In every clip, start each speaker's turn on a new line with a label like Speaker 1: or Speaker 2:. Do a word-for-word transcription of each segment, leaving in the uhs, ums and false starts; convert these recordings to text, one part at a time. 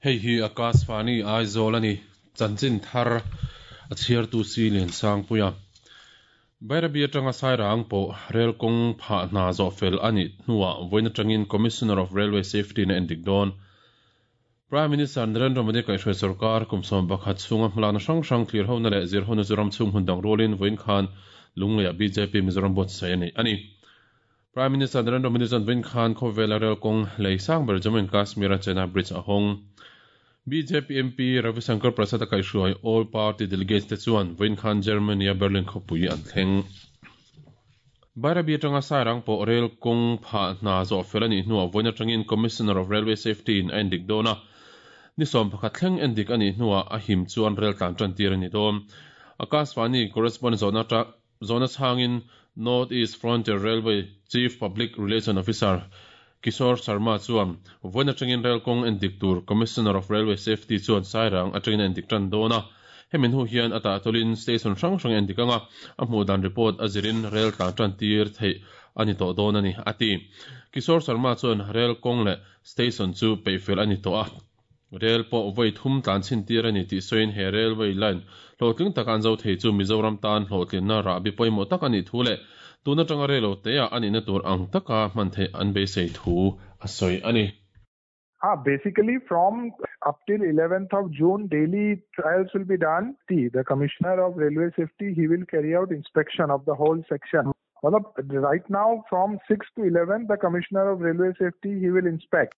Speaker 1: Hei hi Akashvani Aizawl a ni. Chanchin thar a chhiartu si Lian Sangpuia. Bairabi atanga Sairang pawh rel kawng phah hna zawh fel a nih hnuah vawiin atangin Commissioner of Railway Safety in a endik dawn. Prime Minister Narendra Modi kaihhruai sorkar kum sawm pakhat chhunga hmalakna hrang hrang thlir hona leh zir hona chu ram chhung hmun dang rualin vawiin khan Lungleiah B J P Mizoram buatsaih a ni a ni. Prime Minister Narendra Modi chuan vawiin khan khawvela rel kawng lei sang ber Jammu and Kashmir a Chenab Bridge a hawng. B J P M P Ravi Shankar Prasad a kaihhruai All Party Delegates te chuan vawiin khan Germany a Berlin khawpui an thleng. Bairabi atanga Sairang pawh rel kawng phah hna zawh fel a nih hnuah vawiin atangin Commissioner of Railway Safety in a endik dawn a. Ni sawm pakhat thleng endik a nih hnuah a him chuan rel tlan tan tir a ni dawn. Akashvani correspondent zawhna ta zawhna chhangin North East Frontier Railway Chief Public Relation Officer Kishore Sharma chuan vawiin atangin rel kawng endik tur Commissioner of Railway Safety chuan Sairang atangin a endik tan dawn a. Hemi hnu hian a tahtawlin station hrang hrang endik anga a hmuh dan report a zirin rel tlan tan tir theih a ni tawh dawn a ni a ti. Kishore Sharma chuan rel kawng leh station chu peihfel a ni tawh a. Rel pawh vawi thum tlan chhin tir a ni tih sawiin he railway line hlawhtling taka an zo thei chu Mizoram tan hlawhtlinna rahbi pawimawh tak a nih thu leh tun atanga rel lo te ah a nihna tur ang taka hman theih an beisei thu a sawi a ni.
Speaker 2: Ah, basically from up till eleventh of June, daily trials will be done. The, the Commissioner of Railway Safety, he will carry out inspection of the whole section. Well, right now from six to eleven, the Commissioner of Railway Safety, he will inspect.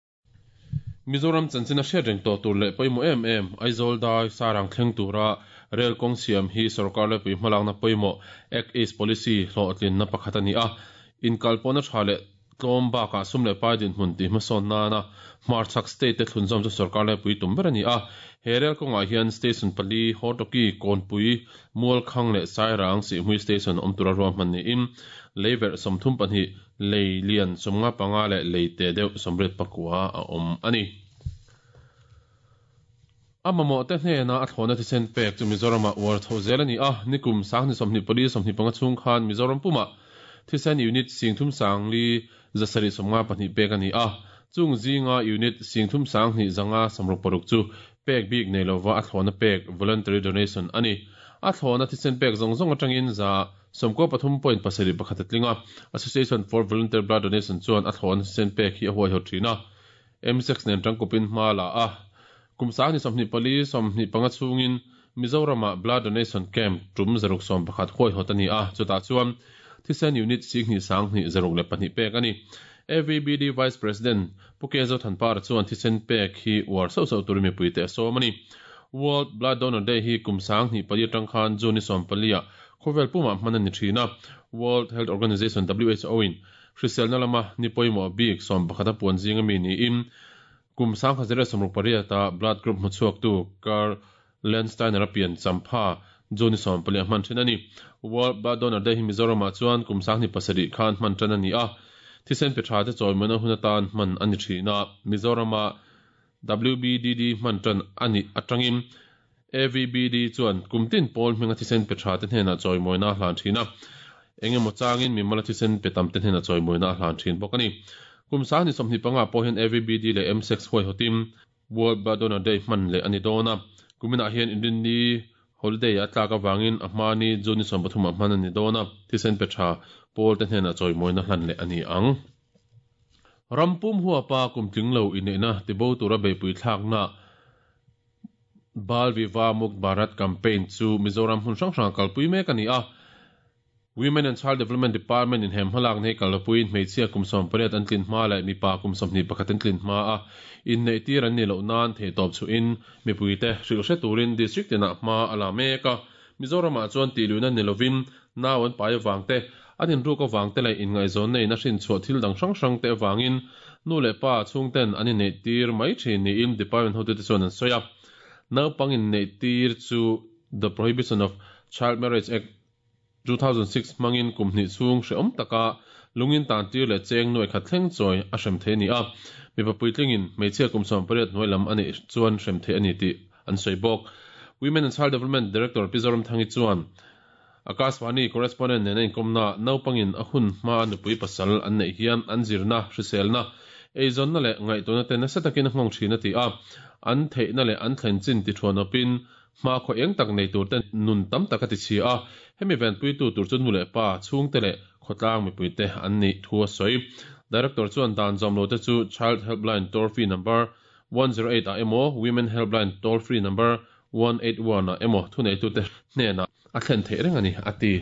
Speaker 1: Mizoram chanchin a hriat reng tawh tur leh pawimawh em em Aizawl dai Sairang thleng tura rel kawng siam hi sorkar lepui hmalakna pawimawh Act East Policy hlawhtlinna pakhat a ni a. Inkalpawhna tha leh tlawm bakah sum leh pai dinhmun tih hmasawn nana hmarchhak state te thlunzawm chu sorkar lepui tum ber a ni a. He rel kawngah hian station pali Hortoki, Kawnpui, Mualkhang leh Sairang Sihhmui station awm tura ruahman niin leiverh sawmthum pahnih lei lian sawmnga panga leh lei te deuh sawmriat pakua a awm a ni. A mamawh te hnena a thlawna thisen pek chu Mizoramah uar chho zel a ni a. Nikum sanghnih sawmhnih pali sawmhnih panga chhung khan Mizoram pumah thisen unit singthum sangli zasarih sawmnga pahnih pek a ni a. Chung zinga unit singthum sanghnih zanga sawmruk paruk chu pek bik nei lova a thlawna pek voluntary donation a ni. A thlawna thisen pek zawng zawng atangin za sawmkaw pathum point pasarih pakhat a tling a. Association for Voluntary Blood Donation chuan a thlawna thisen pek hi a huai hawt thin a. M six nen tangkupin hma la a. Kum sanghnih sawmhnih pali sawmhnih panga chhungin Mizoramah blood donation camp tum zaruk sawm pakhat huai hawt a ni a. Chutah chuan thisen unit singhnih sanghnih zaruk leh pahnih pek a ni. A V B D Vice President Pu Kezo Thanpara chuan thisen pek hi uar sauh sauh tur mipui te a sawm a ni. World Blood Donor Day hi kum sanghnih pali atang khan June ni sawm pali a khawvel pumah hman a ni thin a. World Health Organization W H O in hriselna lama ni pawimawh bik sawm pakhat a puan zinga mi niin kum sangkhat zero sawmruk pariat a blood group hmuchhuak tu Karl Landsteiner a pian champha June ni sawm pali a hman thin a ni. World Blood Donor Day hi Mizoramah chuan kum sanghnih pasarih khan hman tan a ni a. Thisen pe tha te chawimawina hun atan hman a ni thin a. Mizorama W B D D hman tan ani atangin A V B D chuan kumtin pawl hminga thisen pe tha te hnena chawimawina hlan thin a. Engemaw changin mimala thisen pe tam te hnena chawimawina hlan thin bawk a ni. Kum sanghnih sawmhnih panga pawh hian A V B D leh M six huai hawtin World Blood Donor Day hman leh a ni dawn a. Kuminah hian Inrinni holiday a tlak awangin a hmani June ni sawm pathum ah hman a ni dawn a. Thisen pe tha pawl te hnena chawimawina hlan leh a ni ang. Rampum huapa kumtling lo inneihna tibo tura beihpui thlakna Bal Vivah Mukt Bharat campaign chu Mizoram hmun hrang hrang kalpui mek a ni a. Women and Child Development Department in hem hmalak nei kalpuiin hmeichhia kum sawm pariat an tlin hma leh mipa kum sawmhnih pakhat an tlin hma a inneih tir an ni loh nan theihtawp chu in mipuite hrilh hre turin district tinah hma a la mek a. Mizoramah chuan tihluihna ni lovin nau an pai awang te an inruk awang te leh inngaihzawn nei na hrin chhuah thil dang hrang hrang te awangin nu leh pa chhungten an inneih tir mai thin niin department hotute chuan an sawi a. Naupang inneih tir chu The Prohibition of Child Marriage Act two thousand six hmangin kum hnih chhung hreawm taka lungin tan tir leh cheng nuai khat thleng chawi a hrem thei ni a. Mipa puitlingin hmeichhia kum sawm pariat hnuai lam ani chuan hrem thei ani tih an sawi bawk. Women and Child Development Director Pizoram Thangi chuan Akashvani correspondent nen a inkomna naupangin a hun hma nupui pasal an neih hian an zirna hriselna eizawnna leh ngaihtuahna te nasa takin a nghawng thin a ti a, an theihna leh an thlen chin ti thuan awpin hma khaw eng tak nei tur te nun tam tak a ti chhia a, hemi venpuitu tur chu nu leh pa chhungte leh khawtlang mipuite an nih thu a sawi. Director chuan dan zawm lo te chu Child Helpline toll free number one zero eight ah emaw Women Helpline toll free number one eight one ah emaw thuneitute hnenah a thlen theih reng a ni a ti.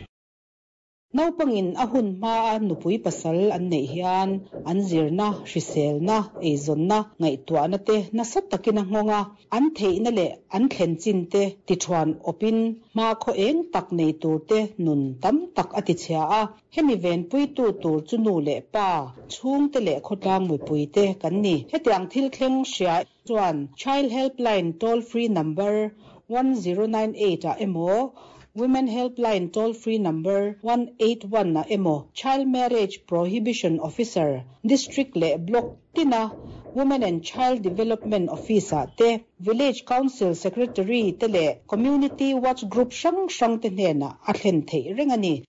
Speaker 3: Naupangin a hun hma a nupui pasal an neih hian an zirna, hriselna, eizawnna, ngaihtuahna te nasa takin a nghawng a, an theihna leh an thlen chin te ti thuan awpin hma khaw eng tak nei tur te nun tam tak a ti chhia a, hemi venpuitu tur chu nu leh pa chhungte leh khawtlang mipui te kan ni. Hetiang thil thleng hria chuan Child Helpline toll free number one zero nine eight ah emaw Women Helpline toll free number one eight one ah emaw Child Marriage Prohibition Officer District leh Block tina Women and Child Development Office ah te Village Council Secretary te leh Community Watch Group hrang hrang te hnenah a thlen theih reng a ni.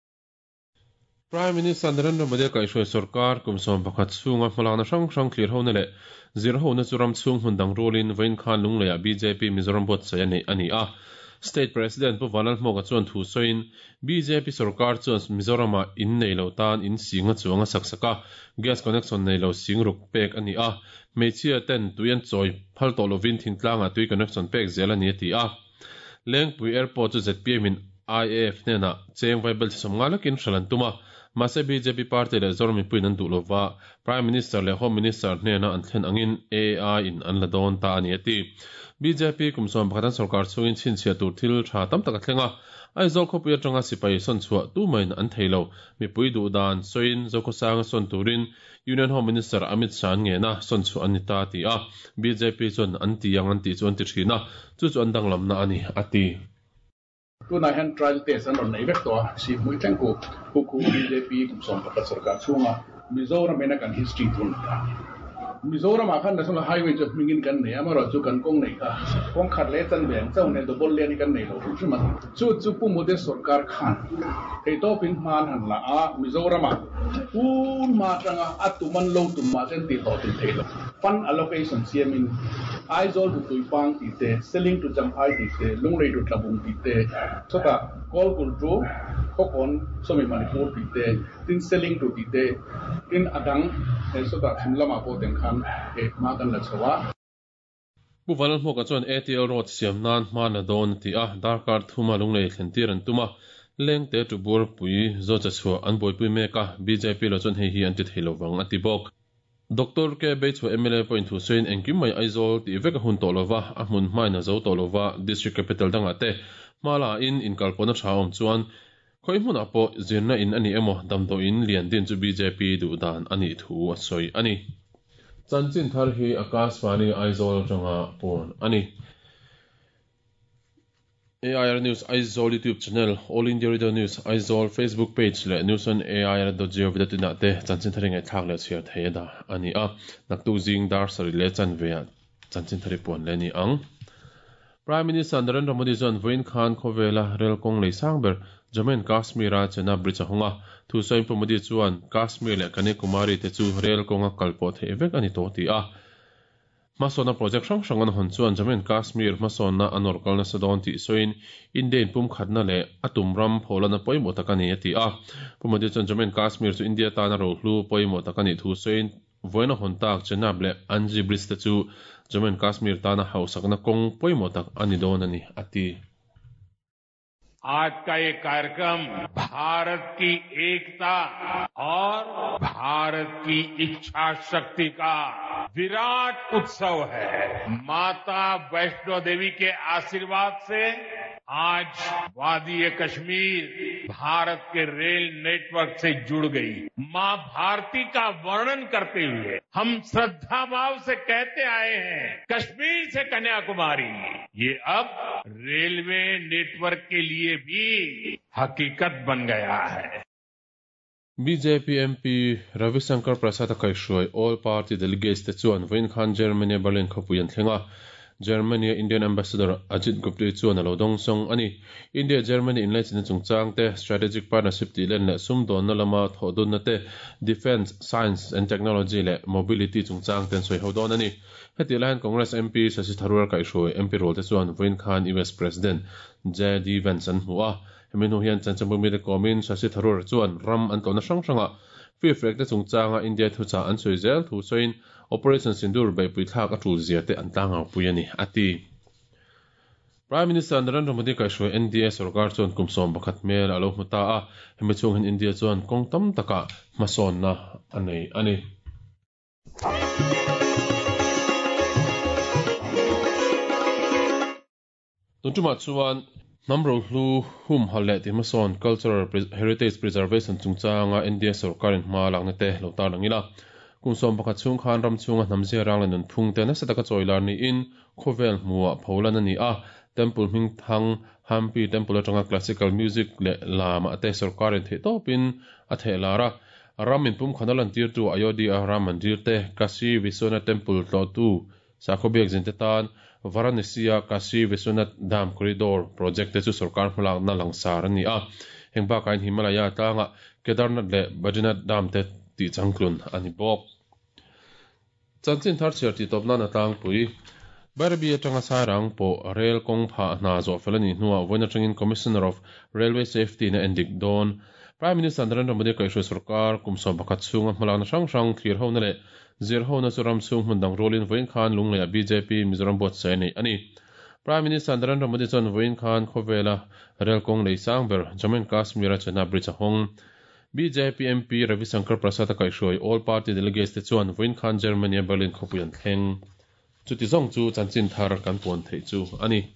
Speaker 1: Prime Minister Narendra Modi kaihhruai sarkar kum sawm pakhat chhunga hmalakna hrang hrang thlir hona leh zir hona chu ram chhung hmun dang rualin vawiin khan Lungleiah B J P Mizoram buatsaih a neih a ni a. State President Pu Vanlal Hmuaka chuan thu sawiin B J P sarkar chuan Mizoramah in nei lo tan in singa chuanga sak sak a, gas connection nei lo sing ruk pek a ni a, hmeichhia ten tui an chawi phal tawh lovin thingtlangah tui connection pek zel a ni a ti a. Lengpui Airport chu Z P M in I A F hnenah cheng vaibel chi sawm nga lekin hral an tum a, mahse B J P party leh Zoram mipuiin an duh lova, Prime Minister leh Home Minister hnena an thlen angin A A I in an la dawn ta a ni a ti. B J P kum sawm pakhat an sarkar chungin chhinchhiah tur thil tha tam tak a thleng a, Aizawl khawpui atanga sipai sawn chhuah tu maiin an thei lo, mipui duh dan sawiin Zokhawsanga sawn turin Union Home Minister Amit Shah an ngena sawn chhuah an ni ta a ti a, B J P chuan an ti ang an tih chu an ti thin a, chu chu an danglamna a ni a ti.
Speaker 4: Tunah hian trial test an rawn nei vek tawh a, si hmui thleng khu khu khu B J P kum sawm pakhat sarkar chhunga Mizoram ina kan history thun ta. Mizoramah khan National Highway chu hmingin kan nei a, amaherawh chu kan kawng nei kha kawng khat leh chan ve ang chauh nen double lane hi kan nei lo hrim hrim a. Chu chu Pu Modi sarkar khan theihtawpin hma an han la a, Mizoramah tun hma atanga a tum an lo tum mah sen tih hlawh tum thei lo. Fund allocation siamin Aizawl to Tuipang tih te, Seling to Champhai tih te, Lunglei to Tlabung tih te, chutah Kawlkulh to Khawkawn Sawmi Manipur tih te, tin Seling to tih te, tin a dang chutah chhim lamah pawh teng khan hma kan la chho a.
Speaker 1: Pu Vanlal Hmuaka chuan A T L Road siam nan hma la dawn a ti a, darkar thuma Lunglei thlen tir an tum a, lengte to Buarpui zo cha chhuah an buaipui mek a, B J P lo chuan hei hi an ti thei lovang a ti bawk. Doctor K Beichhua M L A pawhin thu sawiin engkim mai Aizawl tih vek a hun tawh lova, a hmun hmain a zo tawh lova, District Capital dangah te hma la in inkalpawhna tha awm chuan khawi hmunah pawh zirna in a ni emaw damdawiin lian din chu B J P duh dan a nih thu a sawi a ni. Chanchin thar hi Akashvani Aizawl atanga puan a ni. A I R News Aizawl YouTube channel, All India Radio News Aizawl Facebook page leh news on A I R dot gov dot in ah te chanchin thari ngaihthlak leh chhiar thei a dah a ni a. Naktuk zing dar sarih leh chanve ah chanchin thari puan leh a ni ang. Prime Minister Narendra Modi chuan vawiin khan khawvela rel kawng lei sang ber Jammu and Kashmir a Chenab Bridge a hawng a, thu sawiin Pu Modi chuan Kashmir leh Kanyakumari te chu rel kawnga kal pawh theih vek a ni tawh ti a. Hmasawnna project hrang hrang an hawn chuan Jammu and Kashmir hmasawnna a nawr kal nasa dawn tih sawiin India in pum khatna leh a tum ram pholana pawimawh tak a ni a ti a. Pu Modi chuan Jammu and Kashmir chu India tana rohlu pawimawh tak a nih thu sawiin vawiin a hawn tak Chenab leh Anji Bridge te chu Jammu and Kashmir tana hausakna kawng pawimawh tak a ni dawn a ni a ti.
Speaker 5: आज का ये कार्यक्रम भारत की एकता और भारत की इच्छा शक्ति का विराट उत्सव है। माता वैष्णो देवी के आशीर्वाद से आज वादी कश्मीर भारत के रेल नेटवर्क से जुड़ गई। मां भारती का वर्णन करते हुए हम श्रद्धा भाव से कहते आए हैं, कश्मीर से कन्याकुमारी, ये अब रेलवे नेटवर्क के लिए भी हकीकत बन गया है।
Speaker 1: B J P M P Ravi Shankar Prasad a kaihhruai All Party Delegates te chuan vawiin khan Germany Berlin khawpui an thleng a. Germany Indian Ambassador Ajit Gupta chuan a lo dawng sawng a ni. India Germany inlaichinna chungchang te, strategic partnership tih len leh sumdawnna lama thawhdunna te, defence, science and technology leh mobility chungchang ten sawi ho dawn a ni. Heti lai hian Congress M P Shashi Tharoor kaihhruai M P rual te chuan vawiin khan U S President J D Vance an hmu a. Hemi hnu hian chanchinbu mite kawmin Shashi Tharoor chuan ram an tlawhna hrang hrangah fifrek te chungchanga India thuchah an sawi zel thu sawiin Operation Sindoor beihpui thlak a tul zia te an tlangau pui a ni, a ti. Prime Minister Narendra Modi kaihhruai N D A sarkar chuan kum sawm pakhat hmel a lo hmu ta a, hemi chhung hian India chuan kawng tam takah hmasawnna a nei a ni. Tuntumah chuan hnam rohlu hum hal leh ti hmasawn Cultural Heritage Preservation chungchanga India sarkarin hma lakna te lo tar langila. Kum sawm pakhat chhung khan ram chhunga hnam zia rang leh nun phung te nasa taka chawi lar niin khawvel hmuah pholan a ni a. Temple hming thang Hampi Temple atanga classical music leh lama te sarkarin theih tawpin a theh lar a. Ram in pum khana lan tir tu Ayodhya Ram Mandir te Kashi Vishwanath Temple tlawh tu Sakhobiak zin te tan Varanasi-a Kashi Vishwanath Dham Corridor project te chu sarkar hmalak na langsar a ni a. Heng bakah in Himalaya tlanga Kedarnath leh Badrinath Dham te tih changtlun a ni bawk. Chanchin thar chhiar tih tawp nan a tlangpui. Bairabi atanga sairang pawh rail kawng phah hna zawh fel a ni hnuah vawiin atangin Commissioner of Railway Safety na endik dawn. Prime Minister Narendra Modi kaihhruai sarkar kum sawm pakhat chhunga hmalakna hrang hrang thlir ho na leh zir ho na chu ram chhung hmun dang rualin vawiin khan Lunglei a B J P Mizoram buatsaih a nei a ni. Prime Minister Narendra Modi chuan vawiin khan khawvela rail kawng lei sang ber Jammu and Kashmir a Chenab Bridge a hawng. B J P M P Ravi Shankar Prasad a kaihhruai All Party Delegates te chuan vawiin khan Germany a Berlin khawpui an thleng. Chuti zawng chu chanchin thar kan puan theih chu a ni.